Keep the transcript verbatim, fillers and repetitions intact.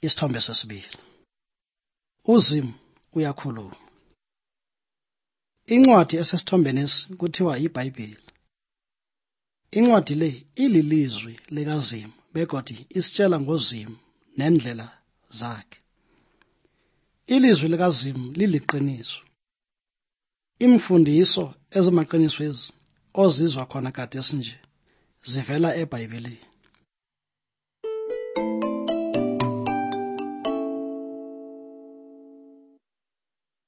Isithombe sesibili. Uzimu uyakhuluma. Incwadi esesithombeni lesi kuthiwa iBhayibheli. Incwadi le ililizwi likaZimu begodi isitshela ngoZimu nendlela zakhe. Ilizwi likaZimu liliqiniso. Imfundiso ezimaqiniso ezi ozizwa khona kade sinje zivela eBhayibhelini.